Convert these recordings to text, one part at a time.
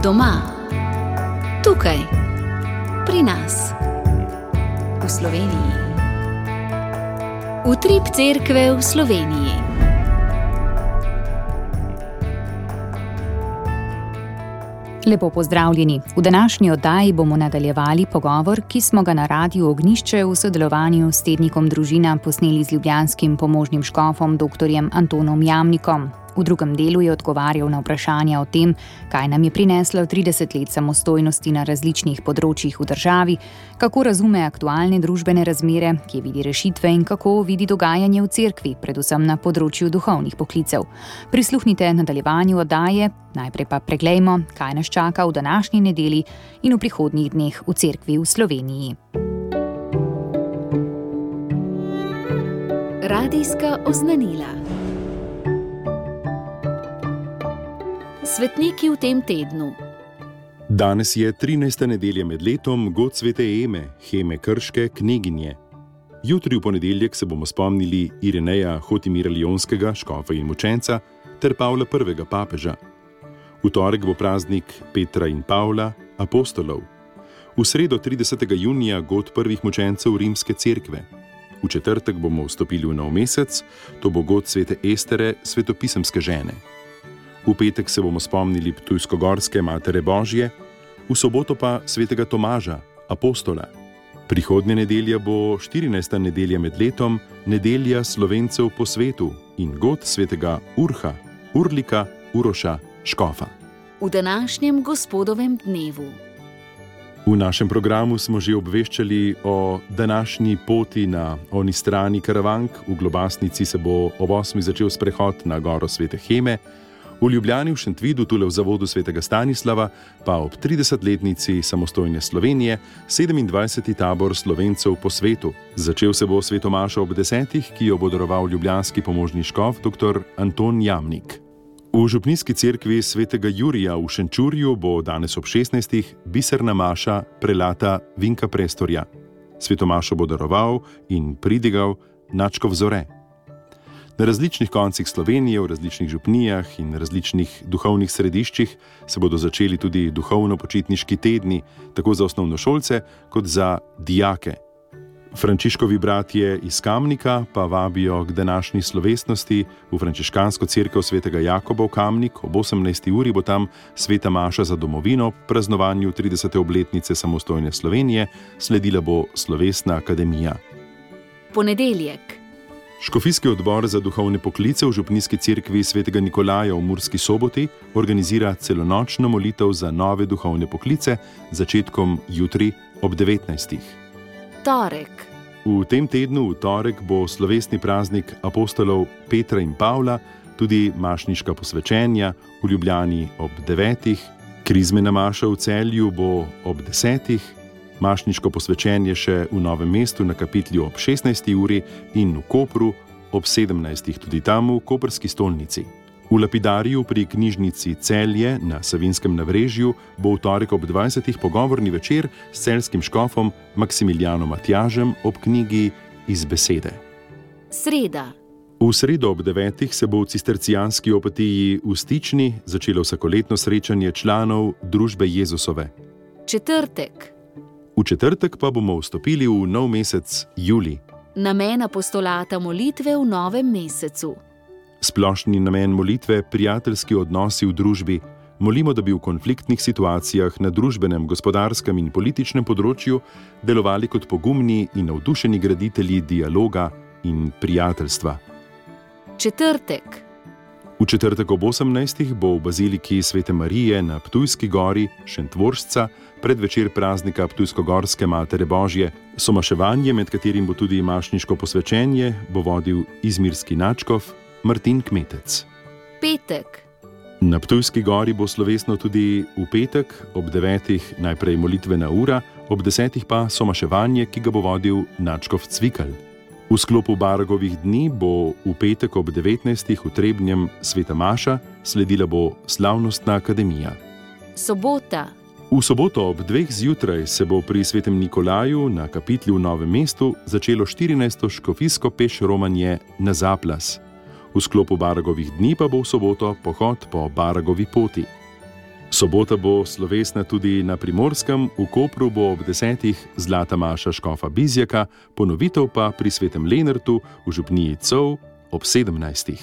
Doma, tukaj, pri nas, v Sloveniji. Utrip cerkve v Sloveniji. Lepo pozdravljeni. V današnji oddaji bomo nadaljevali pogovor, ki smo ga na Radiu Ognjišče v sodelovanju s tednikom Družina posneli z ljubljanskim pomožnim škofom dr. Antonom Jamnikom. V drugem delu je odgovarjal na vprašanja o tem, kaj nam je prineslo 30 let samostojnosti na različnih področjih v državi, kako razume aktualne družbene razmere, kje vidi rešitve in kako vidi dogajanje v cerkvi, predvsem na področju duhovnih poklicev. Prisluhnite nadaljevanju oddaje, najprej pa preglejmo, kaj nas čaka v današnji nedelji in v prihodnjih dneh v cerkvi v Sloveniji. Radijska oznanila. Svetniki v tem tednu. Danes je 13. nedelja med letom, god svete Eme, Heme Krške, kneginje. Jutri v ponedeljek se bomo spomnili Ireneja Hotimira Lionskega, škofa in mučenca, ter Pavla I. papeža. V torek bo praznik Petra in Pavla, apostolov. V sredo 30. junija god prvih mučencev Rimske cerkve. V četrtek bomo vstopili v nov mesec, to bo god svete Estere, svetopisemske žene. V petek se bomo spomnili Ptujsko-Gorske Matere Božje, v soboto pa svetega Tomaža, apostola. Prihodnja nedelja bo 14. nedelja med letom, nedelja Slovencev po svetu in god svetega Urha, Urlika, Uroša, škofa. V današnjem gospodovem dnevu. V našem programu smo že obveščali o današnji poti na oni strani Karavank. V Globasnici se bo ob 8. začel sprehod na goro svete Heme, v Ljubljani v Šentvidu, tule v zavodu svetega Stanislava, pa ob 30-letnici samostojne Slovenije, 27. tabor Slovencev po svetu. Začel se bo svetomaša ob 10, ki jo bo daroval ljubljanski pomožni škof dr. Anton Jamnik. V župnijski cerkvi svetega Jurija v Šenčurju bo danes ob 16. biserna maša prelata Vinka Prestorja. Svetomašo bo daroval in pridigal nadškof Zore. Na različnih koncih Slovenije, v različnih župnijah in različnih duhovnih središčih se bodo začeli tudi duhovno-počitniški tedni, tako za osnovnošolce kot za dijake. Frančiškovi bratje iz Kamnika pa vabijo k današnji slovesnosti v frančiškansko cerkev svetega Jakoba v Kamnik. Ob 18. uri bo tam sveta maša za domovino, praznovanju 30. obletnice samostojne Slovenije, sledila bo slovesna akademija. Ponedeljek. Škofijski odbor za duhovne poklice v župnijski cerkvi svetega Nikolaja v Murski Soboti organizira celonočno molitev za nove duhovne poklice z začetkom jutri ob 19. Torek. V tem tednu, v torek, bo slovesni praznik apostolov Petra in Pavla, tudi mašniška posvečenja v Ljubljani ob 9. Krizmena maša v Celju bo ob 10. Mašniško posvečenje še v Novem mestu na kapitlju ob 16. uri in v Kopru ob 17. tudi tam v koprski stolnici. V lapidariju pri knjižnici Celje na Savinskem navrežju bo v torek ob 20. pogovorni večer s celjskim škofom Maksimilijanom Matjažem ob knjigi Iz besede. Sreda. V sredo ob 9. se bo v cistercijanski opatiji v Stični začelo vsakoletno srečanje članov družbe Jezusove. Četrtek. V četrtek pa bomo vstopili v nov mesec julij. Namen apostolata molitve v novem mesecu. Splošni namen molitve prijateljski odnosi v družbi. Molimo, da bi v konfliktnih situacijah na družbenem, gospodarskem in političnem področju delovali kot pogumni in navdušeni graditelji dialoga in prijateljstva. Četrtek. V četrtek ob 18. bo v baziliki Svete Marije na Ptujski gori Šentvoržca predvečer praznika Ptujsko-Gorske Matere Božje. Somaševanje, med katerim bo tudi mašniško posvečenje, bo vodil izmirski nadškof Martin Kmetec. Petek. Na Ptujski gori bo slovesno tudi v petek ob 9. najprej molitvena ura, ob 10. pa somaševanje, ki ga bo vodil nadškof Cvikl. V sklopu Baragovih dni bo v petek ob 19. v Trebnjem sveta maša, sledila bo slavnostna akademija. Sobota. V soboto ob 2. zjutraj se bo pri svetem Nikolaju na kapitlju v Novem mestu začelo 14. škofijsko peš romanje na Zaplas. V sklopu Baragovih dni pa bo v soboto pohod po Baragovi poti. Sobota bo slovesna tudi na Primorskem, v Kopru bo ob 10. Zlata maša škofa Bizjaka, ponovitev pa pri Svetem Lenartu v župniji Cov ob 17.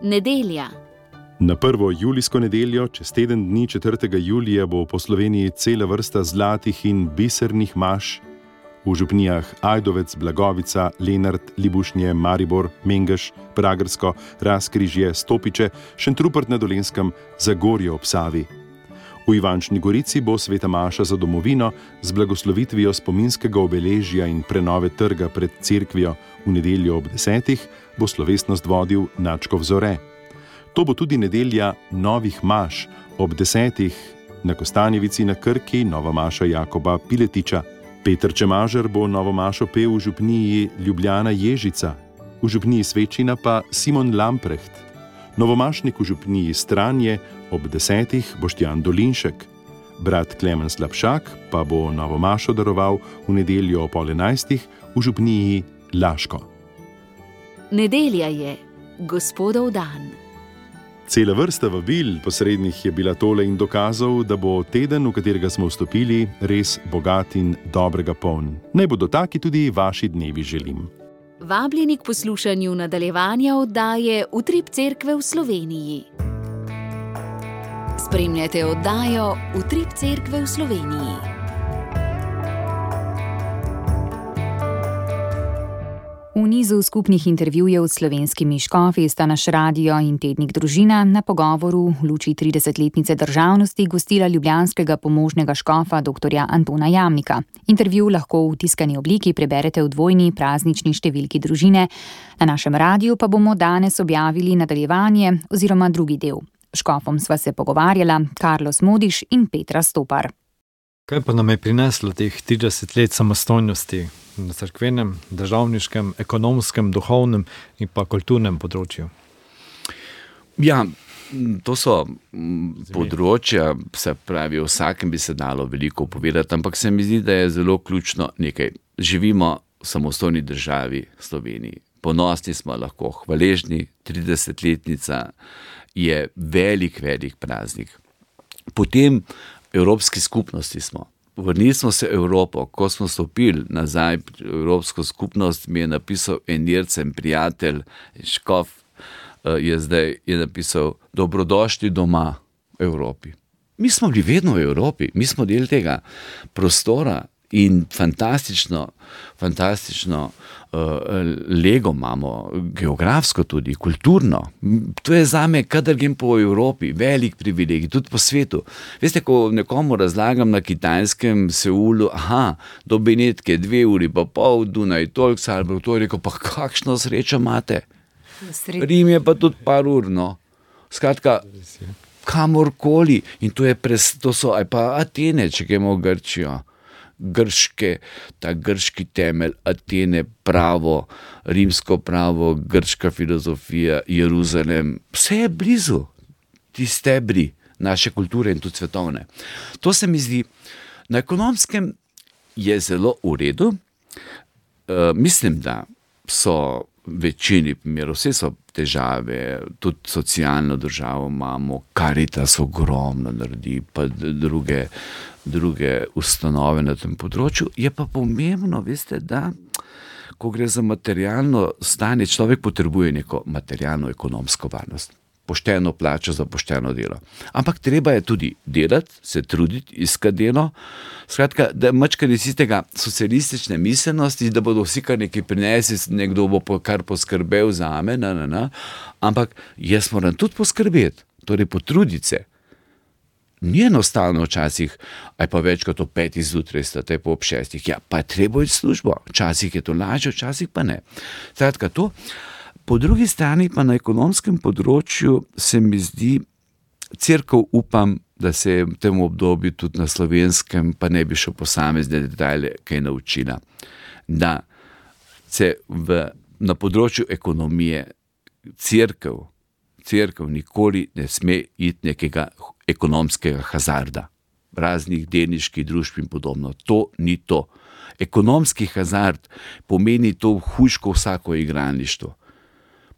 Nedelja. Na 1. julijsko nedeljo, čez teden dni 4. julija, bo po Sloveniji cela vrsta zlatih in bisernih maš v župnijah Ajdovec, Blagovica, Lenart, Libušnje, Maribor, Mengeš, Pragersko, Razkrižje, Stopiče, Šentrupert na Dolenjskem, Zagorje ob Savi. V Ivančni Gorici bo sveta maša za domovino z blagoslovitvijo spominskega obeležja in prenove trga pred cerkvijo. V nedeljo ob 10. bo slovesnost vodil nadškof Zore. To bo tudi nedelja novih maš ob 10. na Kostanjevici na Krki, nova maša Jakoba Piletiča. Peter Čemažer bo novo mašo pel v župniji Ljubljana Ježica, v župniji Svečina pa Simon Lamprecht. Novomašnik v župniji Stranje ob 10. Boštjan Dolinšek. Brat Klemen Slapšak pa bo novo mašo daroval v nedeljo ob 11. v župniji Laško. Nedelja je Gospodov dan. Cela vrsta vabil posrednih je bila tole in dokazov, da bo teden, v katerega smo vstopili, res bogat in dobrega poln. Naj bodo taki tudi vaši dnevi, želim. Vabljeni k poslušanju nadaljevanja oddaje Utrip cerkve v Sloveniji. Spremljate oddajo Utrip cerkve v Sloveniji. V nizu skupnih intervjujev s slovenskimi škofi sta naš radio in tednik Družina na pogovoru v luči 30-letnice državnosti gostila ljubljanskega pomožnega škofa dr. Antona Jamnika. Intervju lahko v tiskani obliki preberete v dvojni praznični številki Družine. Na našem radiju pa bomo danes objavili nadaljevanje oziroma drugi del. Škofom sva se pogovarjala Carlos Modiš in Petra Stopar. Kaj pa nam je prineslo teh 30 let samostojnosti na cerkvenem, državniškem, ekonomskem, duhovnem in pa kulturnem področju? Ja, to so področja, se pravi, o vsakem bi se dalo veliko povedati, ampak se mi zdi, da je zelo ključno nekaj. Živimo v samostojni državi Sloveniji. Ponosni smo lahko, hvaležni, 30-letnica je velik praznik. Potem Evropski skupnosti smo. Vrnili smo se v Evropo. Ko smo stopili nazaj v Evropsko skupnost, mi je napisal en Jercen prijatelj, škof, je napisal: dobrodošli doma v Evropi. Mi smo bili vedno v Evropi, mi smo del tega prostora in fantastično lego imamo, geografsko tudi, kulturno. To je zame, kadar grem po Evropi, velik privilegij, tudi po svetu. Veste, ko nekomu razlagam na Kitajskem, Seulu, do Benetke 2 uri pa pol, Dunaj toliko, Salzburg, to je rekel, pa kakšno srečo imate. Rim je pa tudi par ur, no. Skratka, kamorkoli. In to so aj pa Atene, če gremo v Grčijo. Ta grški temelj, Atene, pravo, rimsko pravo, grška filozofija, Jeruzalem, vse je blizu, ti stebri naše kulture in tudi svetovne. To se mi zdi, na ekonomskem je zelo v redu. Mislim, da so večini primerov, vse so težave, tudi socialno državo imamo, Karitas ogromno naredi, pa druge ustanove na tem področju. Je pa pomembno, veste, da ko gre za materialno stanje, človek potrebuje neko materialno ekonomsko varnost. Pošteno plačo za pošteno delo. Ampak treba je tudi delati, se truditi, iskati delo. Skratka, da mačkani iz tega socialistične miselnosti, da bodo vsi kar nekaj prinesli, nekdo bo kar poskrbel za me, ampak jaz moram tudi poskrbeti, torej potruditi se. Ni enostavno včasih, aj pa več kot o 5 zjutraj, state pa ob 6. Ja, pa je treba iti v službo. Včasih je to lažje, včasih pa ne. Skratka, to. Po drugi strani pa na ekonomskem področju se mi zdi, cerkev upam, da se je v tem obdobju tudi na Slovenskem, pa ne bi šel posamezne detajle, kaj naučila, da se na področju ekonomije cerkev nikoli ne sme iti nekega ekonomskega hazarda, raznih delniških družb in podobno. To ni to. Ekonomski hazard pomeni to hujško vsako igralništvo.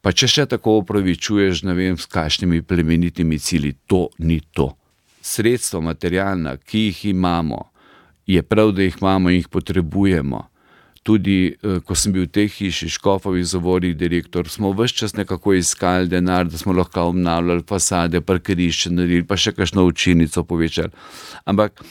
Pa če še tako opravičuješ, ne vem, s kakšnimi plemenitimi cilji, to ni to. sredstva materialna, ki jih imamo, je prav, da jih imamo in jih potrebujemo. Tudi, ko sem bil v tej hiši Škofovih zavorih direktor, smo ves čas nekako iskali denar, da smo lahko obnavljali fasade, parkirišče naredili, pa še kakšno učilnico povečali. Ampak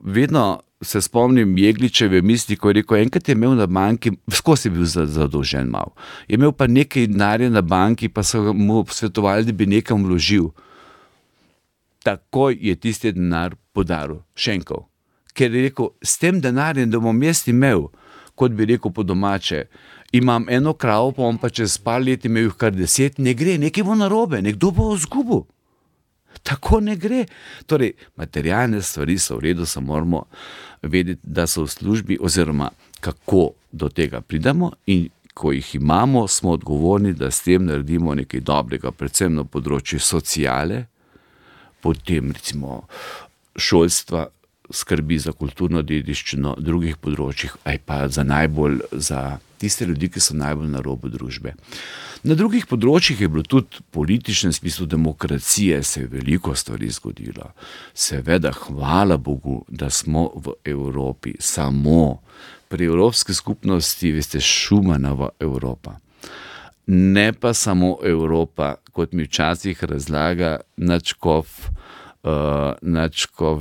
vedno se spomnim Jegličeve misli, ko je rekel, enkrat je imel na banki, skozi je bil zadolžen malo, je imel pa nekaj denarja na banki, pa so mu svetovali, da bi nekam vložil. Takoj je tisti denar podaril, šenkov. Ker je rekel, s tem denarjem, da bom jaz imel, kot bi rekel po domače, imam eno kravo, pa bom pa čez par let imel jih kar 10, ne gre, nekaj bo narobe, nekdo bo izgubil. Tako ne gre. Torej, materialne stvari so v redu, samo moramo vedeti, da so v službi, oziroma kako do tega pridemo, in ko jih imamo, smo odgovorni, da s tem naredimo nekaj dobrega, predvsem na področju sociale, potem recimo šolstva, skrbi za kulturno dediščino, drugih področjih, aj pa za tiste ljudi, ki so najbolj na robu družbe. Na drugih področjih je bilo tudi političnem smislu demokracije, se je veliko stvari zgodilo. Seveda, hvala Bogu, da smo v Evropi, samo pri Evropski skupnosti, veste, Schumanova Evropa. Ne pa samo Evropa, kot mi včasih razlaga nadškof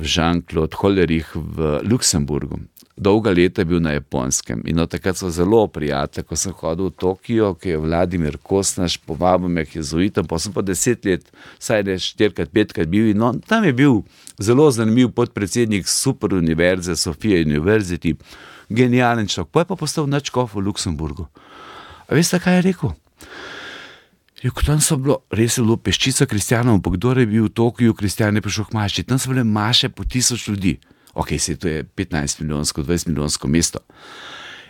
Jean-Claude Hollerich v Luksemburgu. Dolga leta je bil na Japonskem in od takrat so zelo prijatelji, ko sem hodil v Tokio, ki je Vladimir Kosnaš povabil me k jezuitom, pa sem pa 10 let, vsaj 4-krat, 5-krat bil in tam je bil zelo zanimiv podpredsednik super univerze, Sofia University, genijalen človek, pa je pa postal nadškof v Luksemburgu. A veste, kaj je rekel? Tam so bilo, res je bilo peščica kristjanov, ampak kdo je bil v Tokiju, kristjan je prišel k maši, tam so bile maše po 1000 ljudi. Ok, to je 15 milijonsko, 20 milijonsko mesto.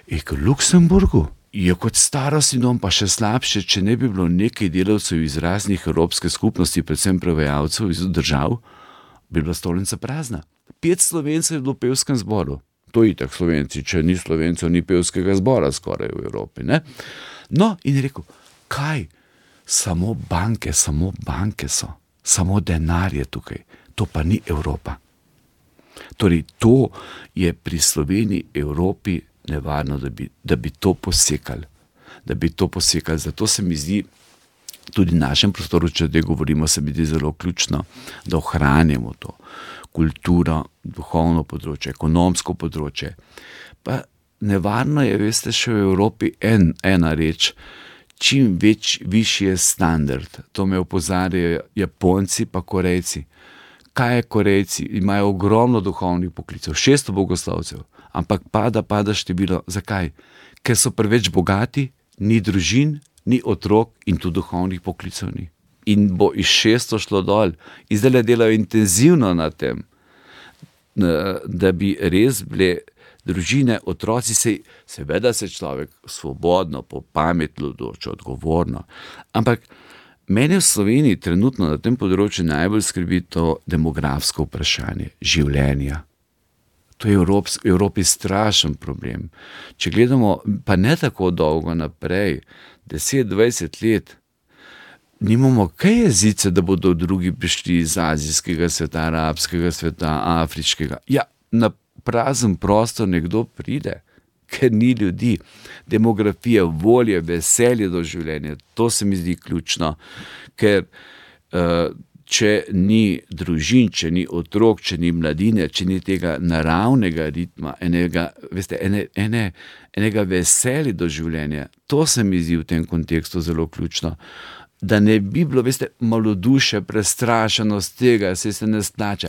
In v Luksemburgu je kot starostni dom, pa še slabše, če ne bi bilo nekaj delavcev iz raznih evropske skupnosti, predvsem prevajalcev iz držav, bi bila stolnica prazna. 5 Slovencev je bilo v pevskem zboru. To je itak Slovenci, če ni Slovencev, ni pevskega zbora skoraj v Evropi, ne? No, in je rekel, kaj? Samo banke so, samo denar je tukaj, to pa ni Evropa. Torej, to je pri Sloveniji, Evropi nevarno, da bi to posekali. Zato se mi zdi, tudi v našem prostoru, če zdaj govorimo, se mi zdi zelo ključno, da ohranjamo to kulturo, duhovno področje, ekonomsko področje. Pa nevarno je, veste, še v Evropi ena reč, čim višji je standard. To me opozarjajo Japonci pa Korejci. Kaj je Korejci? Imajo ogromno duhovnih poklicev, 600 bogoslovcev, ampak pada število. Zakaj? Ker so preveč bogati, ni družin, ni otrok in tudi duhovnih poklicev ni. In bo iz 600 šlo dol. In zdaj delajo intenzivno na tem, da bi res bile družine, otroci, seveda se človek svobodno, po pametno odloča, odgovorno. Ampak mene v Sloveniji trenutno na tem področju najbolj skrbi to demografsko vprašanje življenja. To je v Evropi strašen problem. Če gledamo, pa ne tako dolgo naprej, 10-20 let, nimamo kaj jezice, da bodo drugi prišli iz azijskega sveta, arabskega sveta, afriškega. Ja, na prazen prostor nekdo pride, ker ni ljudi. Demografija, volje, veselje do življenja, to se mi zdi ključno, ker če ni družin, če ni otrok, če ni mladine, če ni tega naravnega ritma, enega veselja do življenja, to se mi zdi v tem kontekstu zelo ključno. Da ne bi bilo, veste, malodušje, prestrašenost tega, se ne splača.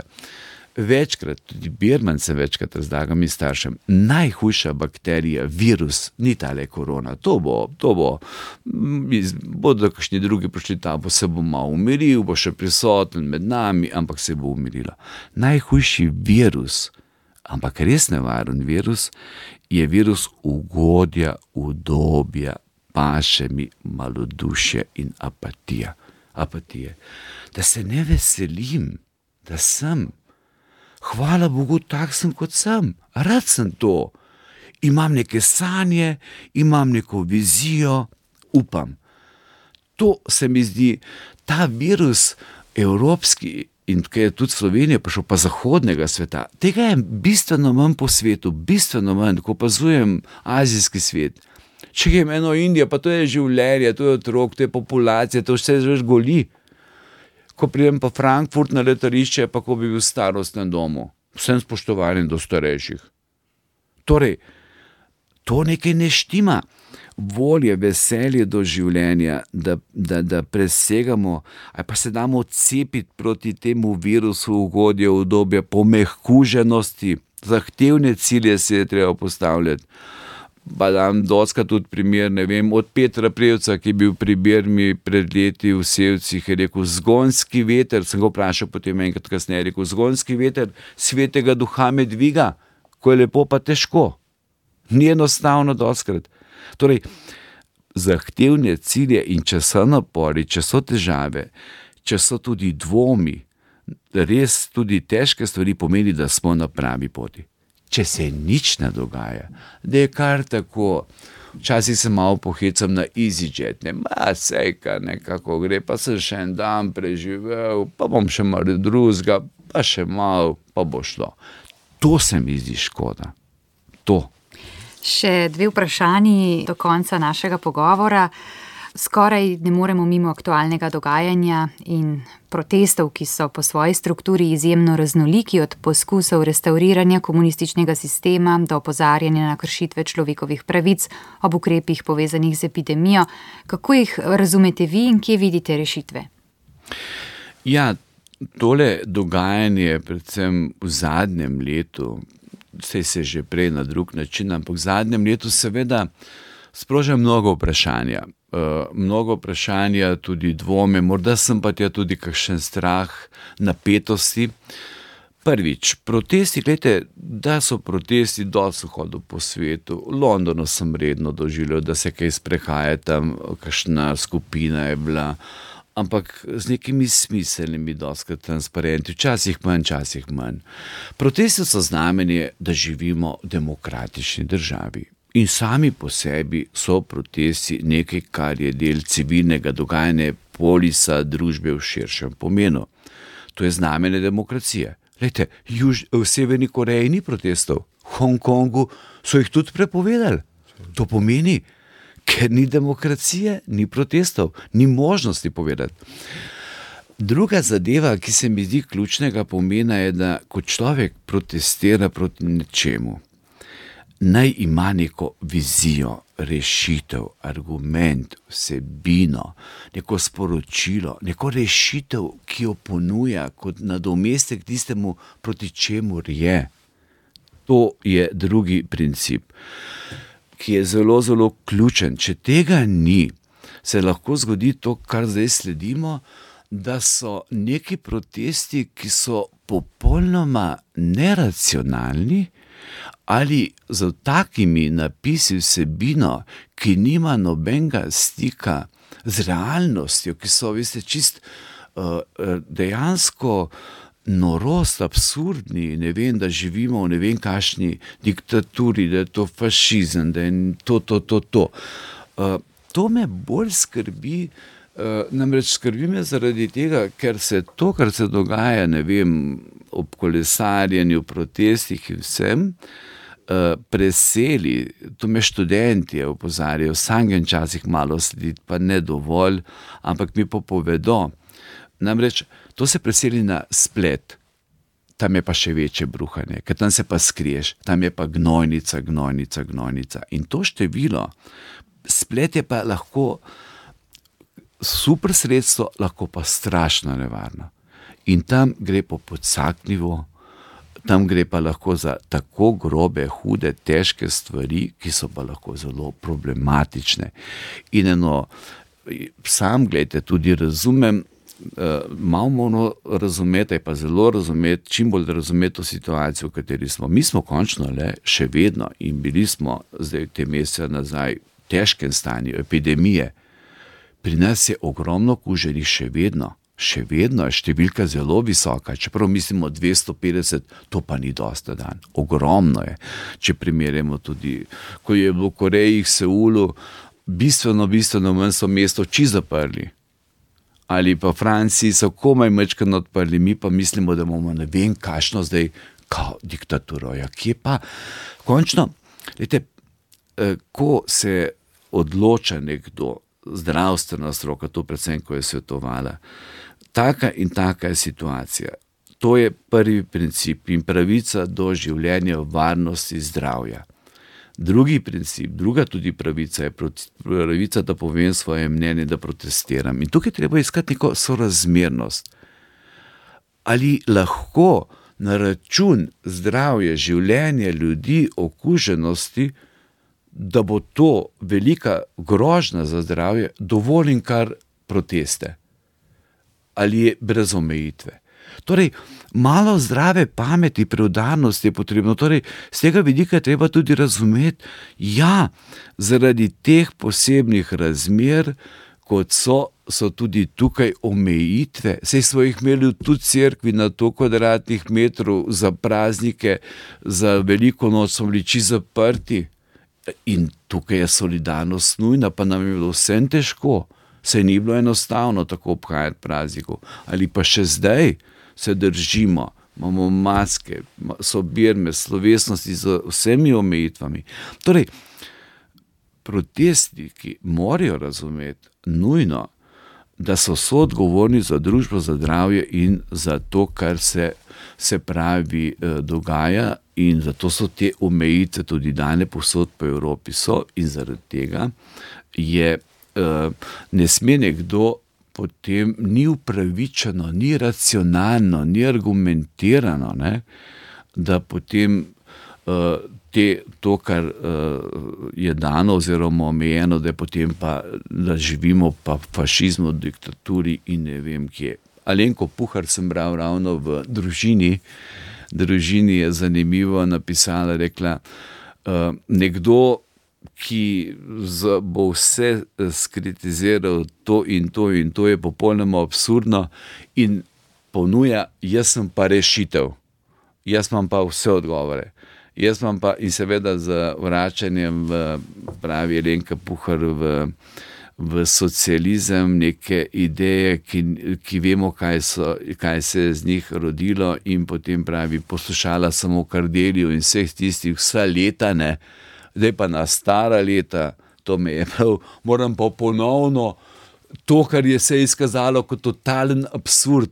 Večkrat, tudi Birman se večkrat razlaga mi staršem, najhujša bakterija, virus, ni tale korona, bodo kakšni drugi prišli, se bo malo umiril, bo še prisoten med nami, ampak se bo umirila. Najhujši virus, ampak res nevaren virus, je virus ugodja, udobja, paše mi malodušje in apatije. Da se ne veselim, da sem. Hvala Bogu, tak sem kot sem, rad sem to. Imam neke sanje, imam neko vizijo, upam. To se mi zdi, ta virus evropski in kaj je tudi Slovenija prišel, pa zahodnega sveta, tega je bistveno manj po svetu, bistveno manj, ko opazujem azijski svet. Če je eno Indija, pa to je življenje, to je otrok, to je populacija, to vse že goli. Ko pridem pa Frankfurt na letališče, pa ko bi bil v starostnem domu, vsem spoštovanjem do starejših. Torej, to nekaj ne štima. Volje, veselje do življenja, da presegamo, ali pa se damo odcepiti proti temu virusu ugodje, udobja, pomehkuženosti, zahtevne cilje se je treba postavljati. Pa dam doskrat tudi primer, ne vem, od Petra Prevca, ki je bil pri Birmi pred leti v Sevcih, je rekel, zgonski veter, sem ga vprašal potem enkrat kasneje, rekel, zgonski veter svetega duha me dviga, ko je lepo pa težko. Ni enostavno doskrat. Torej, zahtevne cilje in če so napori, če so težave, če so tudi dvomi, res tudi težke stvari pomeni, da smo na pravi poti. Če se nič ne dogaja, da je kar tako, včasih se malo pohecam na EasyJet, sejka nekako gre, pa sem še en dan preživel, pa bom še malo drugega, pa še malo, pa bo šlo. To se mi zdi škoda. To. Še 2 vprašanji do konca našega pogovora. Skoraj ne moremo mimo aktualnega dogajanja in protestov, ki so po svoji strukturi izjemno raznoliki, od poskusov restavriranja komunističnega sistema do opozarjanja na kršitve človekovih pravic ob ukrepih povezanih z epidemijo. Kako jih razumete vi in kje vidite rešitve? Ja, tole dogajanje, predvsem v zadnjem letu, saj se že prej na drug način, ampak v zadnjem letu seveda sproža mnogo vprašanja. Mnogo vprašanja, tudi dvome, morda sem pa tja tudi kakšen strah, napetosti. Prvič, protesti, gledajte, da so protesti, dosti hodil po svetu. V Londonu sem redno doživljal, da se kaj sprehaja tam, kakšna skupina je bila, ampak z nekimi smiselnimi, dosti transparenti, včasih manj. Protesti so znamenje, da živimo v demokratični državi. In sami po sebi so protesti nekaj, kar je del civilnega dogajanja, polisa družbe v širšem pomenu. To je znamenje demokracije. Glejte, v Severni Koreji ni protestov, v Hongkongu so jih tudi prepovedali. To pomeni, ker ni demokracije, ni protestov, ni možnosti povedati. Druga zadeva, ki se mi zdi ključnega pomena, je, da ko človek protestira proti nečemu, naj ima neko vizijo, rešitev, argument, vsebino, neko sporočilo, neko rešitev, ki jo ponuja kot nadomestek tistemu, proti čemur je. To je drugi princip, ki je zelo, zelo ključen. Če tega ni, se lahko zgodi to, kar zdaj sledimo, da so neki protesti, ki so popolnoma neracionalni ali z takimi napisi vsebino, ki nima nobenega stika z realnostjo, ki so, veste, čist dejansko norost, absurdni, ne vem, da živimo v ne vem kakšni diktaturi, da je to fašizem, da je to. To me bolj skrbi, namreč skrbi me zaradi tega, ker se to, kar se dogaja, ne vem, ob kolesarjenju, protestih in vsem, preseli, to me študenti opozarjajo, sam grem včasih malo slediti, pa ne dovolj, ampak mi pa povedo. Namreč to se preseli na splet, tam je pa še večje bruhanje, ker tam se pa skriješ, tam je pa gnojnica. In to število, splet je pa lahko super sredstvo, lahko pa strašno nevarno. In tam gre po podsaknjivo, tam gre pa lahko za tako grobe, hude, težke stvari, ki so pa lahko zelo problematične. In sam, gledajte, tudi razumem, malo moramo razumeti, pa zelo razumeti, čim bolj razumeti to situacijo, v kateri smo. Mi smo končno še vedno in bili smo zdaj te mesece nazaj v težkem stanju epidemije. Pri nas je ogromno kuženih še vedno je številka zelo visoka, čeprav mislimo 250, to pa ni dosta dan. Ogromno je, če primerjamo tudi, ko je bilo v Koreji, v Seulu, bistveno manj so mesto čisto zaprli. ali pa Franciji so komaj mečkano odprli, mi pa mislimo, da bomo ne vem kakšno zdaj kao diktaturo. Ja, kje pa? Končno, lejte, ko se odloča nekdo, zdravstvena stroka, to predvsem, ko je svetovala, taka in taka je situacija. To je prvi princip in pravica do življenja, varnosti, zdravja. Drugi princip, druga tudi pravica je pravica, da povem svoje mnenje, da protestiram. In tukaj treba iskati neko sorazmernost. Ali lahko na račun zdravja, življenja ljudi, okuženosti, da bo to velika grožnja za zdravje, dovolim kar proteste? Ali je brez omejitve? Torej, malo zdrave pameti, preudarnosti je potrebno. Torej, z tega vidika je treba tudi razumeti, ja, zaradi teh posebnih razmer, kot so tudi tukaj omejitve. Saj smo jih imeli tudi v cerkvi na 100 kvadratnih metrov za praznike, za veliko noč smo bili čisto zaprti. In tukaj je solidarnost nujna, pa nam je bilo vsem težko. Saj ni bilo enostavno tako obhajati praznikov. Ali pa še zdaj se držimo, imamo maske, sobirme, slovesnosti z vsemi omejitvami. Torej, protestniki morajo razumeti nujno, da so soodgovorni za družbo, za zdravje in za to, kar se pravi dogaja, in zato so te omejitve tudi dane povsod po Evropi so, in zaradi tega je ne sme nekdo potem, ni upravičeno, ni racionalno, ni argumentirano, ne, da potem to, kar je dano oziroma omejeno, da potem pa, da živimo pa v fašizmu, diktaturi in ne vem kje. Alenko Puhar sem bral ravno v Družini je zanimivo napisala, rekla, nekdo, ki bo vse skritiziral to in to je popolnoma absurdno in ponuja, jaz sem pa rešitev, jaz imam pa vse odgovore. Jaz imam pa, in seveda z vračanjem pravi Alenka Puhar v socializem, neke ideje, ki vemo, kaj se je z njih rodilo, in potem pravi, poslušala samo Kardelju in vseh tistih vsa leta, ne, zdaj pa na stara leta, to me je prav, moram pa ponovno to, kar je se izkazalo kot totalen absurd,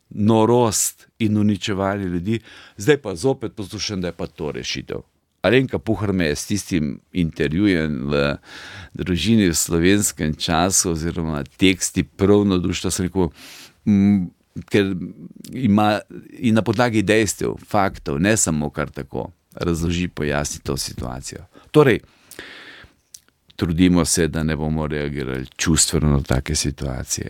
norost in uničevanje ljudi, zdaj pa zopet poslušam, da je pa to rešitev. Alenka Puhar me je s tistim intervjujem v Družini v Slovenskem času oziroma teksti prav navdušila, sem rekel, ker ima in na podlagi dejstev, faktov, ne samo kar tako, razloži, pojasni to situacijo. Torej, trudimo se, da ne bomo reagirali čustveno na take situacije,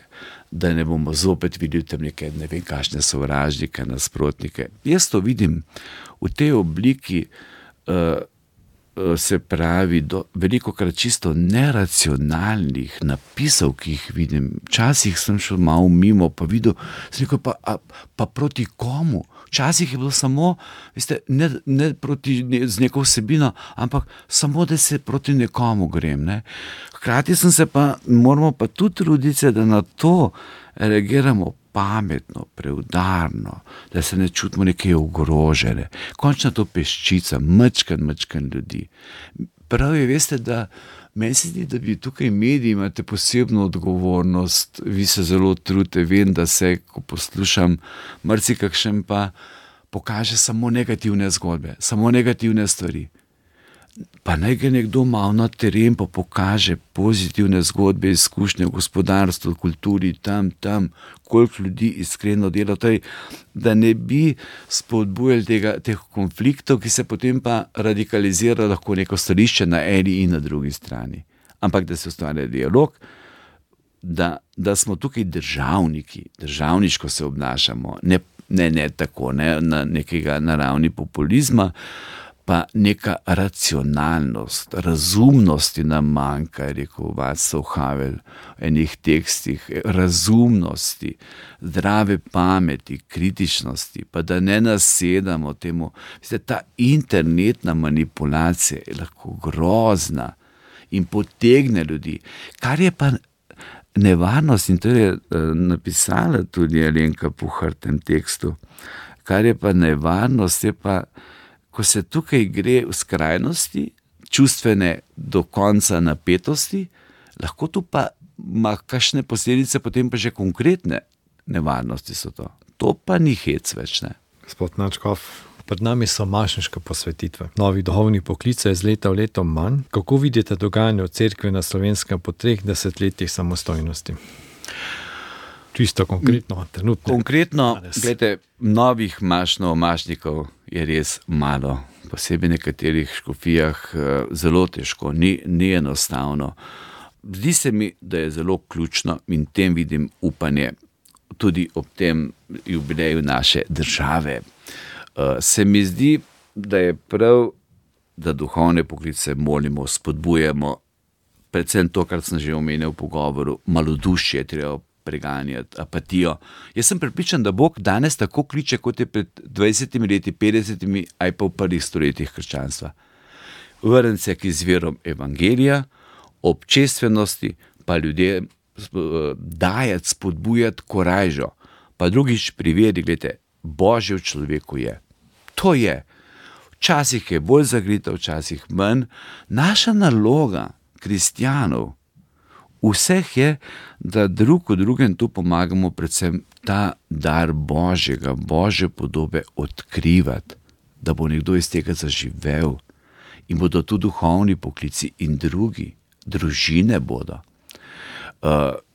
da ne bomo zopet videli tam neke ne vem kakšne sovražnike, nasprotnike. Jaz to vidim v tej obliki, se pravi, velikokrat čisto neracionalnih napisov, ki jih vidim. Včasih sem šel malo mimo, pa videl, sem rekel, pa proti komu? Včasih je bilo samo, veste, ne proti z neko vsebino, ampak samo, da se proti nekomu grem. Ne? Hkrati moramo pa tudi truditi, da na to reagiramo pametno, preudarno, da se ne čutimo nekaj ogrožene. Končno to peščica, mečkan ljudi. Prav je, veste, da meni se zdi, da bi tukaj mediji imate posebno odgovornost, vi se zelo trudite, vem, da se, ko poslušam, marsikakšen pa pokaže samo negativne zgodbe, samo negativne stvari. Pa naj ga nekdo malo na teren pa pokaže pozitivne zgodbe, izkušnje v gospodarstvu, kulturi, tam, koliko ljudi iskreno dela, da ne bi spodbujali teh konfliktov, ki se potem pa radikalizira lahko neko stališče na eni in na drugi strani. Ampak da se ustvarja dialog, da smo tukaj državniki, državniško se obnašamo, ne tako, ne na ravni populizma, pa neka racionalnost, razumnosti nam manjka, je rekel Václav Havel v enih tekstih, razumnosti, zdrave pameti, kritičnosti, pa da ne nasedamo temu. Veste, ta internetna manipulacija je lahko grozna in potegne ljudi. Kar je pa nevarnost, in to je napisala tudi Alenka Puhar v tem tekstu, kar je pa nevarnost, je pa, ko se tukaj gre v skrajnosti, čustvene do konca napetosti, lahko tu pa ima kakšne posledice, potem pa že konkretne nevarnosti so to. To pa ni hec več, ne. Gospod Načkov, pred nami so mašniške posvetitve. Novi duhovni poklice je z leta v leto manj. Kako vidite dogajanje v cerkvi na Slovenskem po 3 desetletjih samostojnosti? Čisto konkretno, trenutno. Konkretno, gledajte, novih mašnikov je res malo. Posebej v nekaterih škofijah zelo težko, ni enostavno. Zdi se mi, da je zelo ključno in tem vidim upanje tudi ob tem jubileju naše države. Se mi zdi, da je prav, da duhovne poklice molimo, spodbujamo, predvsem to, kar sem že omenil v pogovoru, malodušje, treba preganjati, apatijo. Jaz sem prepričan, da Bog danes tako kliče, kot je pred 20 leti, 50, aj pa v prvih stoletjih krščanstva. Vrniti se k izvirom evangelija, občestvenosti, pa ljudem dajati, spodbujati korajžo. Pa drugič pri veri, gledajte, Božje v človeku je. To je. Včasih je bolj zagrita, včasih manj. Naša naloga kristjanov vseh je, da drug v drugem tu pomagamo predvsem ta dar Božjega, Božje podobe odkrivati, da bo nekdo iz tega zaživel in bodo tu duhovni poklici in drugi, družine bodo.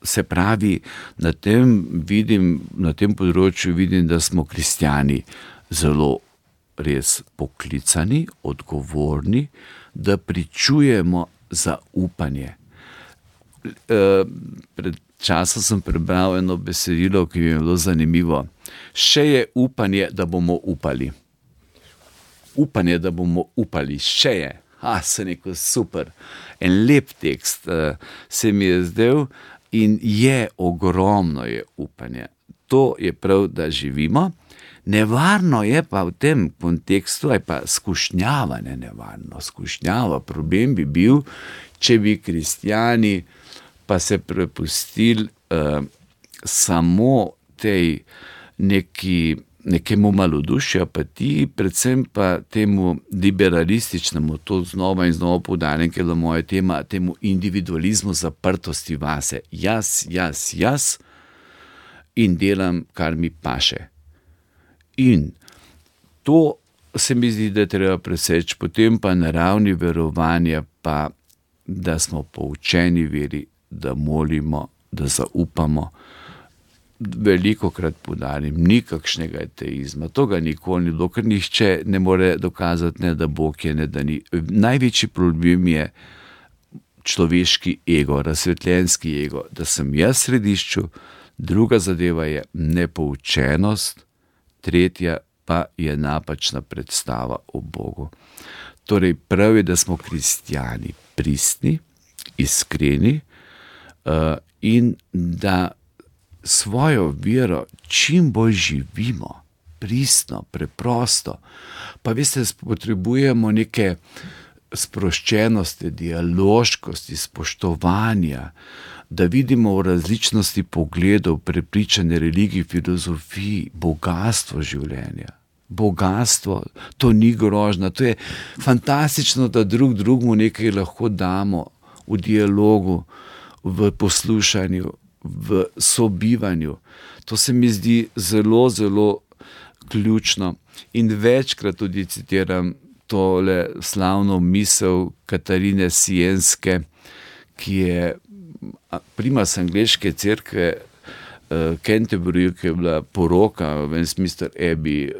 Se pravi, na tem področju vidim, da smo kristjani zelo res poklicani, odgovorni, da pričujemo zaupanje. Pred časom sem prebral eno besedilo, ki mi je bilo zanimivo. Še je upanje, da bomo upali. Upanje, da bomo upali, še je. Se neko super. En lep tekst se mi je zdel in je ogromno je upanje. To je prav, da živimo. Nevarno je pa v tem kontekstu, aj pa skušnjava, ne nevarno, skušnjava. Problem bi bil, če bi kristjani pa se prepustili samo tej nekemu malodušju, apatiji, predvsem pa temu liberalističnemu, to znova in znova poudarjam, ker je moja tema, temu individualizmu, zaprtosti vase. Jaz in delam, kar mi paše. In to se mi zdi, da je treba preseči, potem pa na ravni verovanja pa, da smo poučeni veri, da molimo, da zaupamo. Velikokrat poudarim, ni kakšnega ateizma, to ga nikoli ni bilo, ker nihče ne more dokazati, ne da Bog je, ne da ni. Največji problem je človeški ego, razsvetljenski ego, da sem jaz v središču, druga zadeva je nepoučenost, tretja pa je napačna predstava o Bogu. Torej prav je, da smo kristjani pristni, iskreni in da svojo vero čim bolj živimo, pristno, preprosto. Pa veste, potrebujemo neke sproščenosti, dialoškosti, spoštovanja, da vidimo v različnosti pogledov, prepričanje, religij, filozofij, bogastvo življenja. Bogastvo, to ni grožnja, to je fantastično, da drugemu nekaj lahko damo v dialogu, v poslušanju, v sobivanju. To se mi zdi zelo, zelo ključno. In večkrat tudi citiram tole slavno misel Katarine Sienske, ki je primas angleške cerkve Canterbury, ki je bila poroka v Westminster Abbey,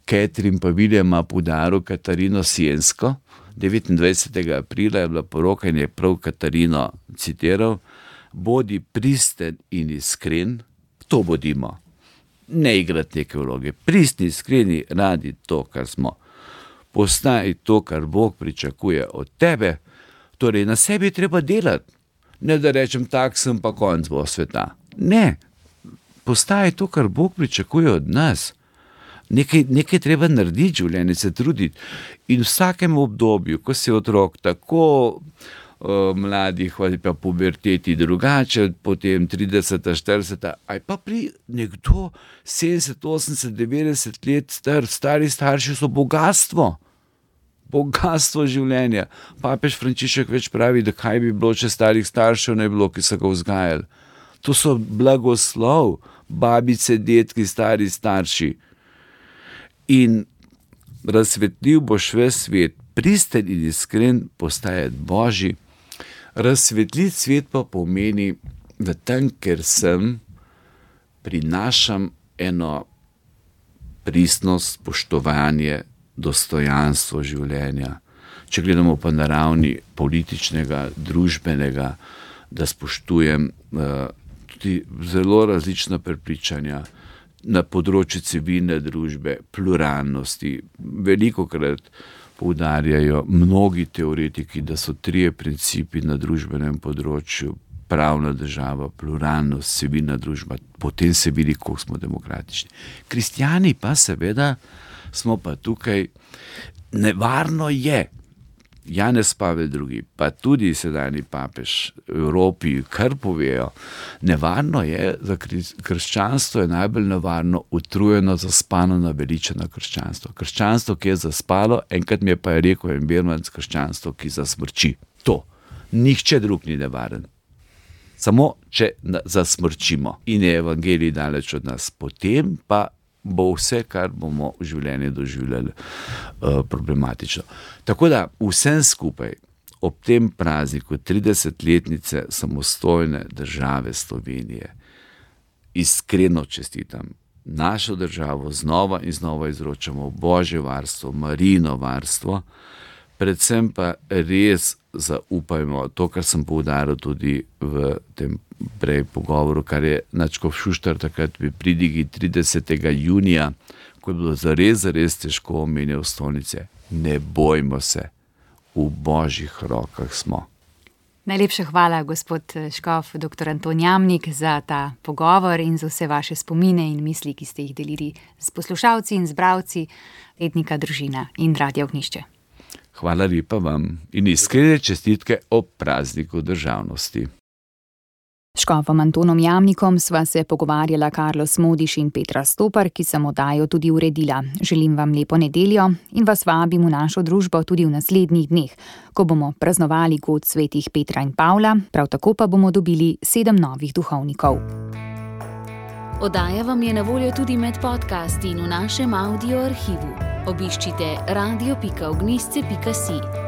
Catherine pa Williama poudaril Katarino Siensko. 29. aprila je bila poroka in je prav Katarino citiral: bodi pristen in iskren, to bodimo. Ne igrati neke vloge, pristni, iskreni, radi to, kar smo. Postaj to, kar Bog pričakuje od tebe, torej na sebi treba delati. Ne da rečem, tak sem pa konc bo sveta. Ne, postaj to, kar Bog pričakuje od nas. Nekaj treba narediti, življenje se truditi. In v vsakem obdobju, ko si otrok, tako mladih ali pa puberteti drugače, potem 30, 40, ali pa pri nekdo 70, 80, 90 let stari starši so bogatstvo življenja. Papež Frančišek več pravi, da kaj bi bilo, če starih staršev ne bi bilo, ki so ga vzgajali. To so blagoslov, babice, detki, stari starši. In razsvetljiv boš ves svet, pristen in iskren postajati Božji. Razsvetliti svet pa pomeni, da tam, ker sem, prinašam eno pristnost, spoštovanje, dostojanstvo življenja. Če gledamo pa na ravni političnega, družbenega, da spoštujem tudi zelo različna prepričanja na področju civilne družbe, pluralnosti. Velikokrat poudarjajo mnogi teoretiki, da so 3 principi na družbenem področju: pravna država, pluralnost, civilna družba, potem se vidi, koliko smo demokratični. Kristjani pa seveda smo pa tukaj, nevarno je, Janez Pavel II, pa tudi sedajni papež v Evropi, kar povejo, nevarno je, za krščanstvo je najbolj nevarno utrujeno, zaspano, naveličeno krščanstvo. Krščanstvo, ki je zaspalo, enkrat mi je pa rekel en Bermanc, krščanstvo, ki zasmrči. To. Nihče drug ni nevaren. Samo, če zasmrčimo in je evangelij daleč od nas, potem pa bo vse, kar bomo v življenju doživljali, problematično. Tako da vsem skupaj ob tem prazniku 30-letnice samostojne države Slovenije iskreno čestitam. Našo državo znova in znova izročamo Božje varstvo, Marijino varstvo, predvsem pa res zaupajmo to, kar sem poudaril tudi v tem prej pogovoru, kar je nadškof Šuštar takrat pri pridigi 30. junija, ko je bilo zares težko, omenjal stolnice. Ne bojmo se, v Božjih rokah smo. Najlepša hvala, gospod škof, dr. Anton Jamnik, za ta pogovor in za vse vaše spomine in misli, ki ste jih delili s poslušalci in z bralci Tednika Družina in Radia Ognjišče. Hvala lepa vam in iskrene čestitke ob prazniku državnosti. S škofom Antonom Jamnikom sva se pogovarjala Carlos Modiš in Petra Stopar, ki sem oddajo tudi uredila. Želim vam lepo nedeljo in vas vabim v našo družbo tudi v naslednjih dneh, ko bomo praznovali god svetih Petra in Pavla, prav tako pa bomo dobili 7 novih duhovnikov. Oddaja vam je na voljo tudi med podcasti in v našem audio arhivu. Obiščite radio.ognjišče.si.